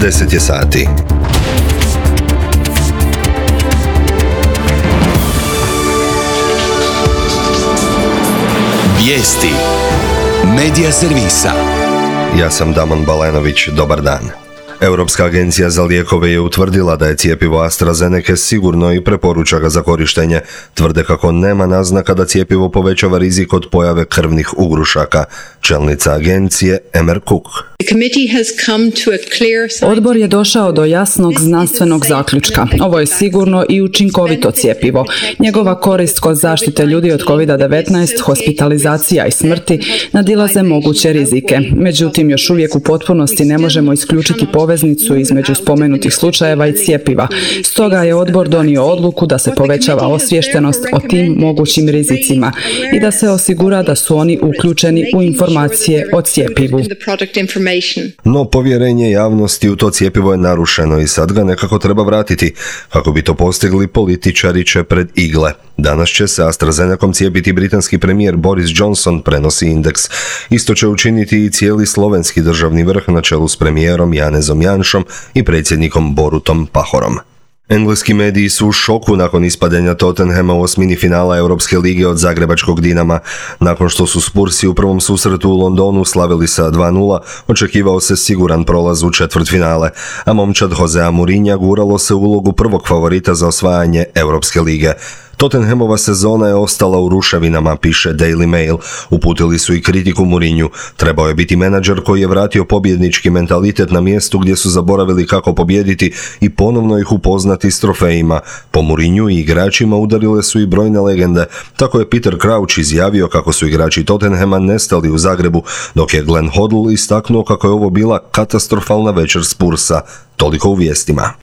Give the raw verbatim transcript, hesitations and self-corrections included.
deset je sati. Vijesti Medija servisa. Ja sam Damon Balenović, dobar dan. Europska agencija za lijekove je utvrdila da je cjepivo AstraZeneca sigurno i preporuča ga za korištenje. Tvrde kako nema naznaka da cjepivo povećava rizik od pojave krvnih ugrušaka. Čelnica agencije Emer Cook. Odbor je došao do jasnog znanstvenog zaključka. Ovo je sigurno i učinkovito cjepivo. Njegova korist kod zaštite ljudi od kovid devetnaest, hospitalizacija i smrti nadilaze moguće rizike. Međutim, još uvijek u potpunosti ne možemo isključiti poveznicu između spomenutih slučajeva i cjepiva. Stoga je odbor donio odluku da se povećava osviještenost o tim mogućim rizicima i da se osigura da su oni uključeni u informacije o cjepivu. No povjerenje javnosti u to cjepivo je narušeno i sad ga nekako treba vratiti. Kako bi to postigli, političari će pred igle. Danas će se AstraZenecom cijepiti britanski premijer Boris Johnson, prenosi Indeks. Isto će učiniti i cijeli slovenski državni vrh na čelu s premijerom Janezom Janšom i predsjednikom Borutom Pahorom. Engleski mediji su u šoku nakon ispadenja Tottenhama u osmini finala Europske lige od zagrebačkog Dinama. Nakon što su Spursi u prvom susretu u Londonu slavili sa dva nula, očekivao se siguran prolaz u četvrtfinale, a momčad Josea Mourinha guralo se u ulogu prvog favorita za osvajanje Europske lige. Tottenhamova sezona je ostala u ruševinama, piše Daily Mail. Uputili su i kritiku Mourinhu. Trebao je biti menadžer koji je vratio pobjednički mentalitet na mjestu gdje su zaboravili kako pobijediti i ponovno ih upoznati s trofejima. Po Mourinhu i igračima udarile su i brojne legende. Tako je Peter Crouch izjavio kako su igrači Tottenhama nestali u Zagrebu, dok je Glenn Hoddle istaknuo kako je ovo bila katastrofalna večer Spursa. Toliko u vijestima.